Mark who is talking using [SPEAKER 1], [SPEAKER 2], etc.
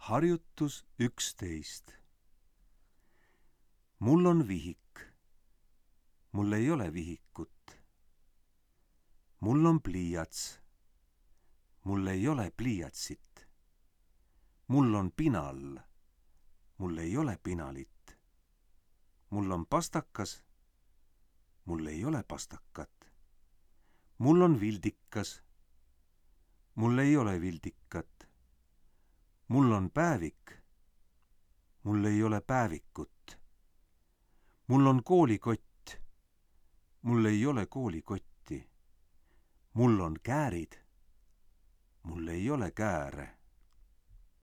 [SPEAKER 1] Harjutus 11. Mul on vihik. Mul ei ole vihikut. Mul on pliiats. Mul ei ole pliiatsit. Mul on pinal. Mul ei ole pinalit. Mul on pastakas. Mul ei ole pastakat. Mul on vildikas. Mul ei ole vildikat. Mul on päevik. Mul ei ole päevikut. Mul on koolikott. Mul ei ole koolikotti. Mul on käärid. Mul ei ole kääre.